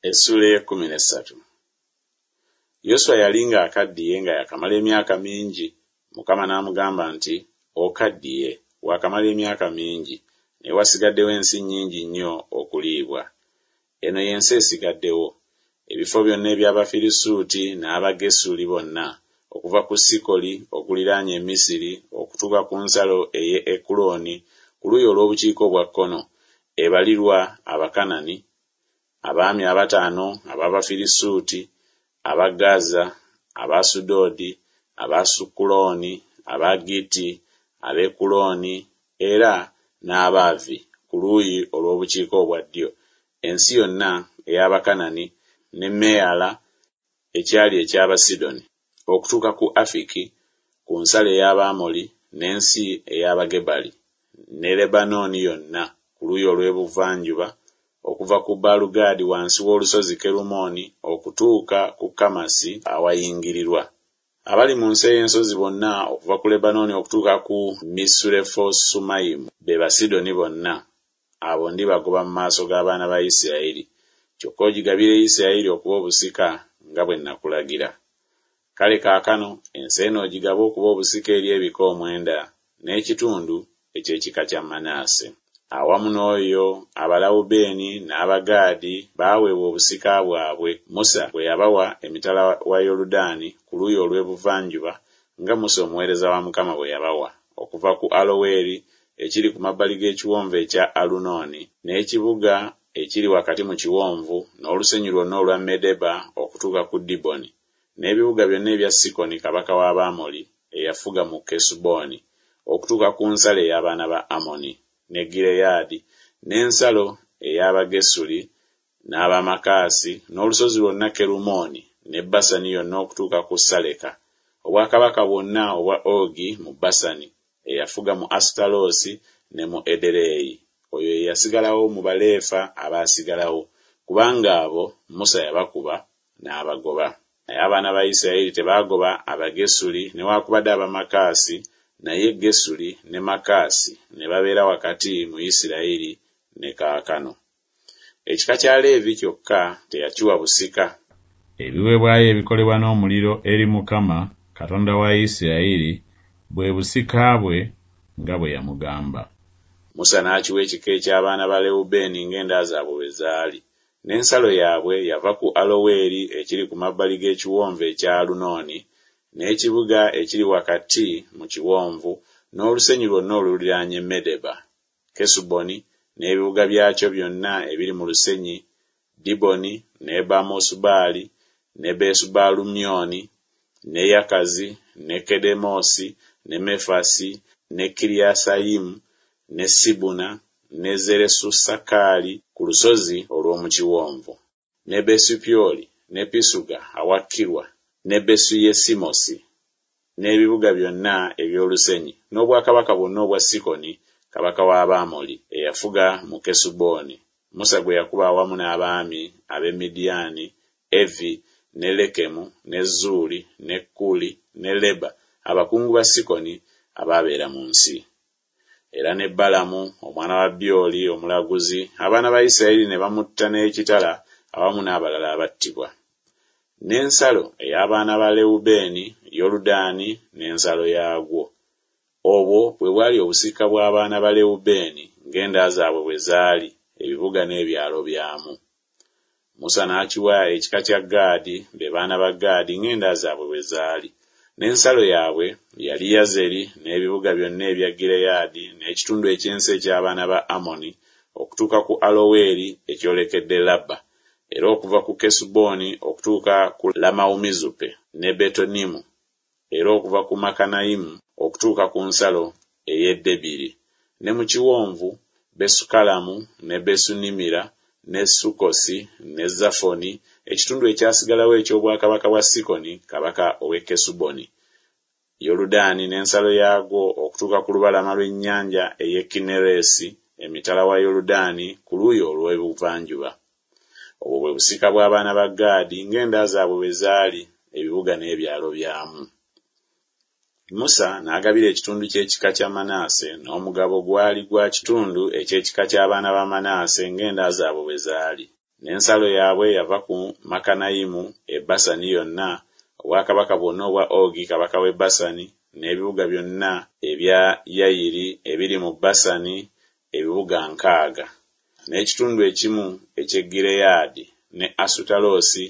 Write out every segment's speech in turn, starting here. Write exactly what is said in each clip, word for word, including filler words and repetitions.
Essuula ey'ekkumi n'essatu. Yoswa yali ng'akaddiye nga yakamala emyaka mingi. Mukama n'amugamba nti, Okaddiye, waakamala emyaka mingi, naye wasigaddewo ensi nnyingi nnyo okuliibwa. Eno y'ensi esigaddewo, ebifo byonna eby'Abafirisuuti n'Abagesuli bonna, okuva ku Sikoli okuliraanye Misiri okutuuka ku nsalo ey'e Ekulooni ku luuyi olw'obukiika obwa kkono, ebalirwa Abakanani, abaami abataano ab'Abafirisuuti, aba Gaza, ab'Asudodi, ab'Asukulooni, Abagitti, ab'Ekulooni era n'Abaavi ku luuyi olw'obukiika obwa ddyo, ensi yonna ey'Abakanani ne Meyala ekyali eky'Abasidoni, okutuuka ku Afiki ku nsalo ey'Abamoli n'ensi ey'Abagebali ne Lebanooni yonna ku luuyi olw'ebuvanjuba, okuva ku Baalugaadi wansi w'olusozi Kerumooni okutuuka ku Kamasi awayingirirwa. Abali mu nsi ey'ensozi bonna okuva ku Lebanooni okutuuka ku Misurefosumayimu be Basidoni bonna, abo ndibagoba mu maaso g'abaana ba Isirayiri, kyokka ogigabire Isirayiri okuba obusika nga bwe nakulagira. Kale kaakano ensi eno ogigabe okuba obusika eri ebika omwenda n'ekitundu eky'ekika kya Manase. Awamu n'oyo Abalawubeeni n'Abagaadi baaweebwa obusika bwabwe, Musa bwe yabawa emitala wa Yoludaani ku luuyi olw'ebuvanjuba, nga Musa omuweereza wa Mukama bwe yabawa, okuva ku Aloweri ekiri ku mabbali g'ekiwonvu ekya Alunooni, n'ekibuga ekiri wakati mu kiwonvu, n'olusenyu lwonna olwa Medeba okutuuka ku Diboni, n'ebibuga byonna ebya Sikoni kabaka w'Abamoli eyafuga mu Kesuboni, okutuuka ku nsalo ey'abaana ba Amoni, ne Gireyaadi, n'ensalo ey'Abagesuli n'Abamaakasi, n'olusozi lwonna Kerumooni, ne Basani yonna okutuuka ku Saleka, obwakabaka bwonna obwa Ogi mu Basani, eyafuga mu Asutaloosi ne mu Ederei. Oyo ye yasigalawo mu Baleefa abaasigalawo, kubanga abo Musa yabakuba n'abagoba. Naye abaana ba Isirayiri tebaagoba Abagesuli newaakubadde Abamaakasi, naye Gesuli ne Maakasi ne babeera wakati mu Isirayiri ne kaakano. Ekika kya Leevi kyokka teyakiwa busika. Ebiweebwayo ebikolebwa n'omuliro eri Mukama, Katonda wa Isirayiri, bwe busika bwe, nga bwe yamugamba. Musa n'akiwa ekika eky'abaana ba Lewubeeni ng'enda zaabwe bwe zaali. N'ensalo yaabwe yava ku Aloweri ekiri ku mabbali g'ekiwonvu ekya Alunooni, n'ekibuga ekiri wakati mu kiwonvu, n'olusenyu lwonna oluliraanye Medeba, Kesuboni n'ebibuga byakyo byonna ebiri mu lusenyi, Diboni ne Bamosubaali ne Besubaalumyoni, ne Yakazi ne Kedemosi ne Mefasi ne Kiriyasayimu ne Sibuna ne Zeresusakali ku lusozi olw'omu kiwonvu, ne Besupyoli ne Pisuga awakkirwa ne Besuyesimosi, n'ebibuga byonna eby'olusenyi, n'obwakabaka bwonna obwa Sikoni kabaka w'Abamoli eyafuga mu Kesuboni, Musa gwe yakuba awamu n'abaami ab'e Midiyaani, Evi ne Lekemu ne Zuuli ne Kuli ne Leba, abakungu ba Sikoni abaabeera mu nsi. Era ne Balamu omwana wa Byoli omulaguzi, abaana ba Isirayiri ne bamutta n'ekitala awamu n'abalala abattibwa. N'ensalo ey'abaana ba Lewubeeni, Yoludaani n'ensalo yaagwo. Obwo bwe bwali obusika bw'abaana ba Lewubeeni ng'enda zaabwe bwe zaali, ebibuga n'ebyalo byamu. Musa n'akiwa ekika kya Gaadi, be baana ba Gaadi ng'enda zaabwe bwe zaali. N'ensalo yaabwe yali Yazeri n'ebibuga byonna ebya Gireyaadi n'ekitundu eky'ensi eky'abaana ba Amoni okutuuka ku Aloweri ekyolekedde Labba, era okuva ku Kesuboni okutuuka ku Lamawumizupe ne Betonimu, era okuva ku Makanayimu okutuuka ku nsalo ey'e Debiri, ne mu kiwonvu Besukalamu ne Besunimira ne Sukkosi ne Zafoni, ekitundu ekyasigalawo eky'obwakabaka bwa Sikoni kabaka ow'e Kesuboni, Yoludaani n'ensalo yaagwo okutuuka ku lubalama lw'ennyanja ey'e Kinneresi emitala wa Yoludaani ku luuyi olw'ebuvanjuba. Obwo bwe busika bw'abaana ba Gaadi ng'enda zaabwe bwe zaali, ebibuga n'ebyalo byamu. Musa n'agabira ekitundu ky'ekika kya Manase, n'omugabo gwali gwa kitundu eky'ekika ky'abaana ba Manase ng'enda zaabwe bwe zaali. N'ensalo yaabwe yava ku Makanayimu e Basani yonna, obwakabaka bwonna obwa Ogi kabaka w'e Basani, n'ebibuga byonna ebya Yayiri ebiri mu Basani, ebibuga nkaaga, n'ekitundu ekimu eky'e Gireyaadi, ne Asutaloosi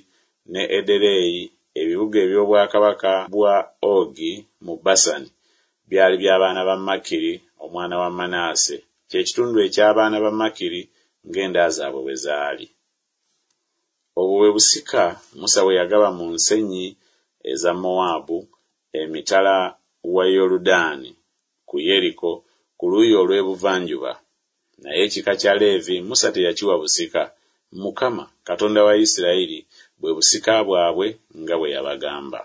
ne Ederei, ebibuga eby'obwakabaka bwa Ogi mu Basani, byali by'abaana ba Makiri omwana wa Manase, kye kitundu eky'abaana ba Makiri ng'enda zaabwe bwe zaali. Obwo bwe busika Musa bwe yagaba mu nsenyi eza Mowaabu emitala wa Yoludaani ku Yeriko ku luuyi olw'ebuvanjuba. Naye ekika kya Leevi Musa teyakiwa busika, Mukama, Katonda wa Isirayiri, bwe busika bwabwe nga bwe yabagamba.